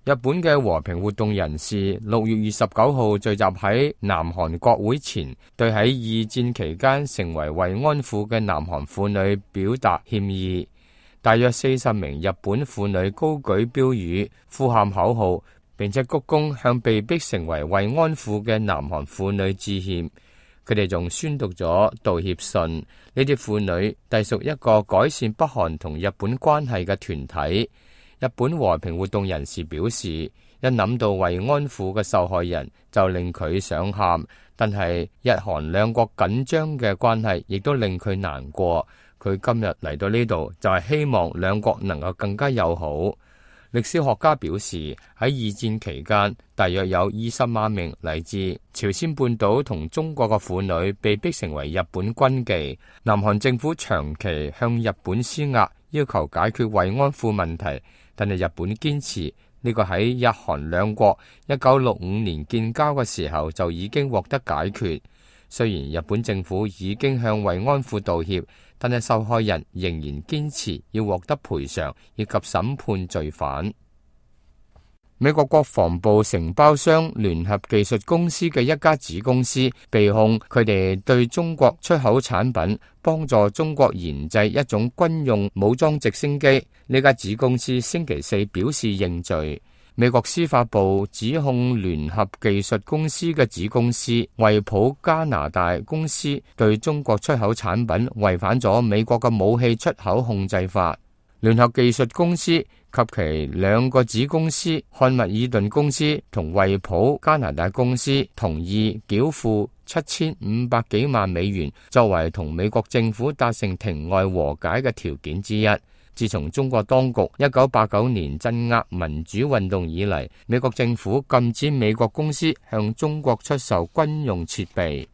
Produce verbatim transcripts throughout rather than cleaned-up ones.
日本嘅和平活動人士六月二十九號聚集喺南韓國會前，對喺二戰期間成為慰安婦嘅南韓婦女表達歉意。大約四十名日本婦女高舉標語、呼喊口號，並且鞠躬向被逼成為慰安婦嘅南韓婦女致歉。佢哋仲宣讀咗道歉信。呢啲婦女隸屬一個改善北韓同日本關係嘅團體。日本和平活動人士表示，一諗到慰安婦嘅受害人就令佢想喊，但係日韓兩國緊張嘅關係亦都令佢難過。佢今日嚟到呢度就係希望兩國能夠更加友好。歷史學家表示，喺二戰期間，大約有二十萬名嚟自朝鮮半島同中國嘅婦女被逼成為日本軍妓。南韓政府長期向日本施壓，要求解決慰安婦問題。但係日本堅持呢個喺日韓兩國一九六五年建交嘅時候就已經獲得解決。雖然日本政府已經向慰安婦道歉，但係受害人仍然堅持要獲得賠償以及審判罪犯。美國國防部承包商聯合技術公司嘅一家子公司被控佢哋對中國出口產品，幫助中國研製一種軍用武裝直升機。呢家子公司星期四表示認罪。美國司法部指控聯合技術公司嘅子公司惠普加拿大公司對中國出口產品違反咗美國嘅武器出口控制法。聯合技術公司及其兩個子公司漢密爾頓公司同惠普加拿大公司同意繳付七千五百幾萬美元，作為同美國政府達成庭外和解嘅條件之一。自從中國當局一九八九年鎮壓民主運動以嚟，美國政府禁止美國公司向中國出售軍用設備。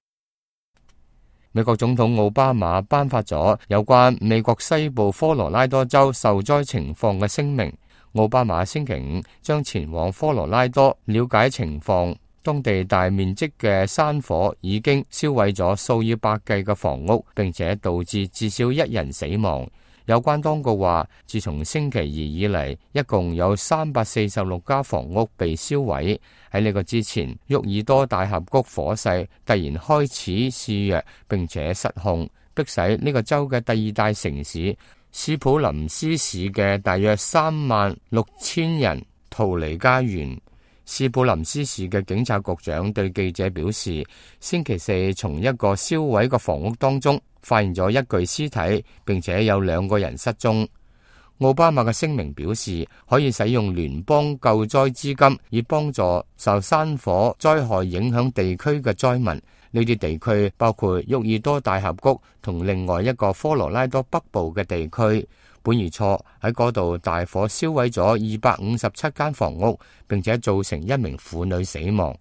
美國總統奧巴馬頒發咗有關美國西部科羅拉多州受災情況嘅聲明。奧巴馬星期五將前往科羅拉多了解情況，當地大面積嘅山火已經燒毀咗數以百計嘅房屋，並且導致至少一人死亡。有關當局話，自從星期二以嚟，一共有三百四十六家房屋被燒毀。喺呢個之前，沃爾多大峽谷火勢突然開始肆虐，並且失控，迫使呢個州嘅第二大城市斯普林斯市嘅大約三萬六千人逃離家園。斯普林斯市嘅警察局長對記者表示，星期四從一個燒毀嘅房屋當中發現咗一具屍體，並且有兩個人失蹤。奧巴馬嘅聲明表示，可以使用聯邦救災資金，以幫助受山火災害影響地區嘅災民。呢啲地區包括沃爾多大峽谷同另外一個科羅拉多北部嘅地區。本月初喺嗰度大火燒毀咗二百五十七間房屋，並且造成一名婦女死亡。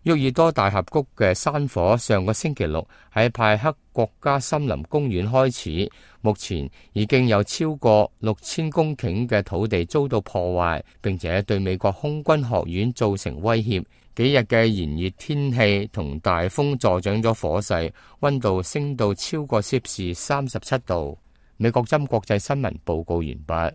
沃爾多大峽谷嘅山火上個星期六喺派克國家森林公園開始，目前已經有超過六千公頃嘅土地遭到破壞，並且對美國空軍學院造成威脅。幾日嘅炎熱天氣同大風助長咗火勢，溫度升到超過攝氏三十七度。美國針國際新聞報告完畢。